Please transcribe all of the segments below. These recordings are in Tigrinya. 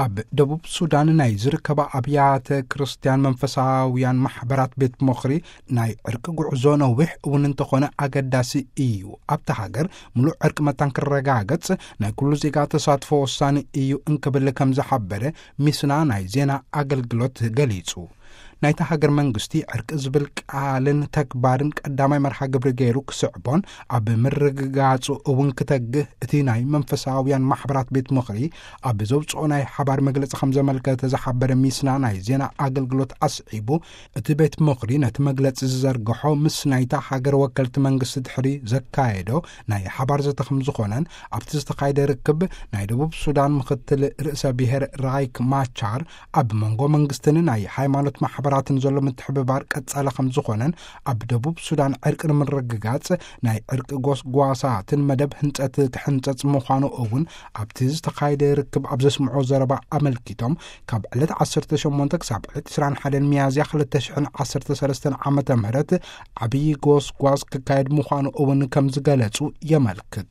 ኣብ ደቡብ ሱዳን ናይ ዝርከባ ኣብያተ ክርስትያን መንፈሳውያን ማሕበራት ቤት ምኽሪ፣ ናይ ዕርቂ ጉዕዞ ነዊሕ እውን እንተኾነ ኣገዳሲ እዩ። ኣብታ ሃገር ምሉእ ዕርቂ መታን ክረጋገጽ ናይ ኩሉ ዜጋ ተሳትፎ ወሳኒ እዩ እንክብል ከም ዝሓበረ ሚስና ናይ ዜና ኣገልግሎት ገሊጹ። ናይታ ሃገር መንግስቲ ዕርቂ ዝብል ቃልን ተግባርን ቀዳማይ መርሃ ግብሪ ገይሩ ክስዕቦን ኣብ ምርግጋጹ እውን ክተግህ እቲ ናይ መንፈሳውያን ማሕበራት ቤት ምኽሪ ኣብ ዘውፅኦ ናይ ሓባር መግለጺ ከም ዘመልከተ ዝሓበረ ሚስና ናይ ዜና ኣገልግሎት ኣስዒቡ፣ እቲ ቤት ምኽሪ ነቲ መግለጺ ዝዘርግሖ ምስ ናይታ ሃገር ወከልቲ መንግስቲ ድሕሪ ዘካየዶ ናይ ሓባር ዘተ ከም ዝኾነን፣ ኣብቲ ዝተኻየደ ርክብ ናይ ደቡብ ሱዳን ምኽትል ርእሰ ብሔር ራይክ ማቻር ኣብ መንጎ መንግስትን ናይ ሃይማኖት ማሕበራትን ዘሎ ምትሕብባር ቀጻሊ ከም ዝኾነን፣ ኣብ ደቡብ ሱዳን ዕርቂ ንምርግጋጽ ናይ ዕርቂ ጎስጓሳትን መደብ ህንጸት ክሕንጸጽ ምዃኑ እውን ኣብቲ ዝተኻየደ ርክብ ኣብ ዘስምዖ ዘረባ ኣመልኪቶም፣ ካብ ዕለት ዓሰርተ ሸሞንተ ክሳብ ዕለት ዕስራን ሓደን ሚያዝያ ክልተ ሽሕን ዓሰርተ ሰለስተን ዓመተ ምህረት ዓብዪ ጎስጓስ ክካየድ ምዃኑ እውን ከም ዝገለጹ የመልክት።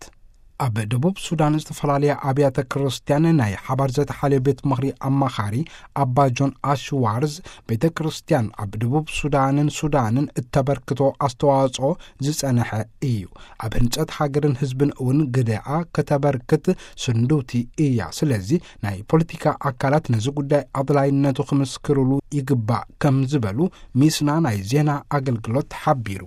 ኣብ ደቡብ ሱዳን ዝተፈላለያ ኣብያተ ክርስትያን ናይ ሓባር ዘተሓልዮ ቤት ምኽሪ ኣማኻሪ ኣባ ጆን ኣሽዋርዝ፣ ቤተ ክርስትያን ኣብ ደቡብ ሱዳንን ሱዳንን እተበርክቶ ኣስተዋጽኦ ዝጸንሐ እዩ። ኣብ ህንጸት ሃገርን ህዝብን እውን ግደኣ ከተበርክት ስንዱቲ እያ። ስለዚ ናይ ፖለቲካ ኣካላት ነዚ ጉዳይ ኣድላይነቱ ክምስክርሉ ይግባእ ከም ዝበሉ ሚስና ናይ ዜና ኣገልግሎት ሓቢሩ።